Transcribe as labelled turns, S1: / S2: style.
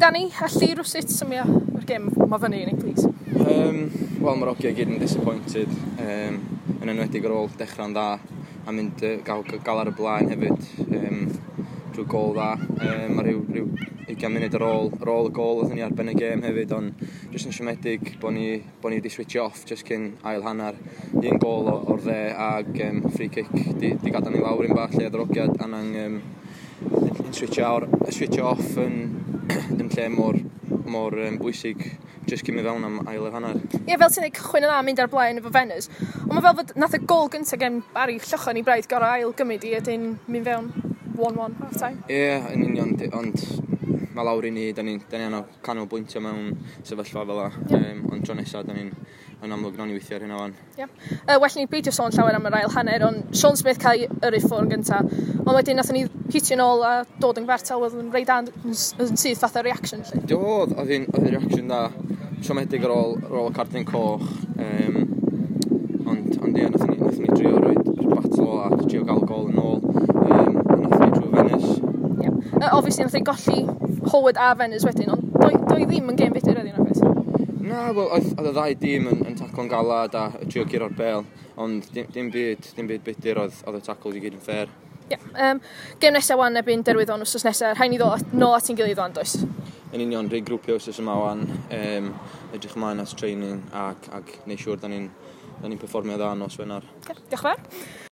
S1: Danny, allu rwsut symio yr gêm ma fyny i ni, please?
S2: Wel, mae'r ogia i gyd yn disappointed, yn enwedig ar ôl dechrau'n dda a mynd gael ar y blaen hefyd drwy gol dda. Mae rhyw 20 munud ar ôl y gol oedden ni ar ben y gêm hefyd, ond jyst yn siomedig bod ni wedi switch off jyst cyn ail hanner. Un gol o'r dde ag free kick di gadael ni lawr un bach lle oedd yr ogiad angen yn switch off yn lle mor bwysig jyst cyn mynd fewn am ail yr hanner.
S1: Ie, fel ti'n dweud, cychwyn yn dda, mynd ar blaen efo Venners. Ond mae fel fod nath y gol gyntaf gen Barry Llychon i braidd gorau ail gymryd i ydyn mynd fewn 1-1 half time.
S2: Ie, yeah, yn union, ond mae lawr i ni, da ni anno canolbwyntio mewn sefyllfa fel la. Ond tro nesaf, da ni'n yn amlwg nawn ni weithio ar hynna wan.
S1: Yeah. Well ni beidio sôn llawer am yr ail hanner, ond Sean Smith cael ei yrru ffwrdd yn gyntaf. Ond wedyn nathon ni hitio nôl a dod yn gyfartal, oedd yn reit da yn syth fatha reaction. Lle.
S2: Do, oedd hi'n reaction da. Siomedig ar ôl y cardyn coch. Ond ie, nathon ni drio roed yr battle a drio gael gol yn ôl. A nathon ni drwy Venice.
S1: Yeah. Obviously, nathon ni golli Howard a Venice wedyn, ond doi ddim yn gêm fudur wedyn, nag oes?
S2: Na, wel, oedd y ddau dîm yn taclo'n galad a trio guro'r bel, ond dim byd budur, oedd y tackles i gyd yn fair.
S1: Yeah. Gêm nesaf wan erbyn Derwyddon wsos nesaf, rhaid ni ddod nôl at ein gilydd wan, does?
S2: Yn union, regrwpio wsos yma wan, edrych ymlaen at training ac neud siŵr da ni'n perfformio dda nos Wener.
S1: Okay, diolch yn fawr.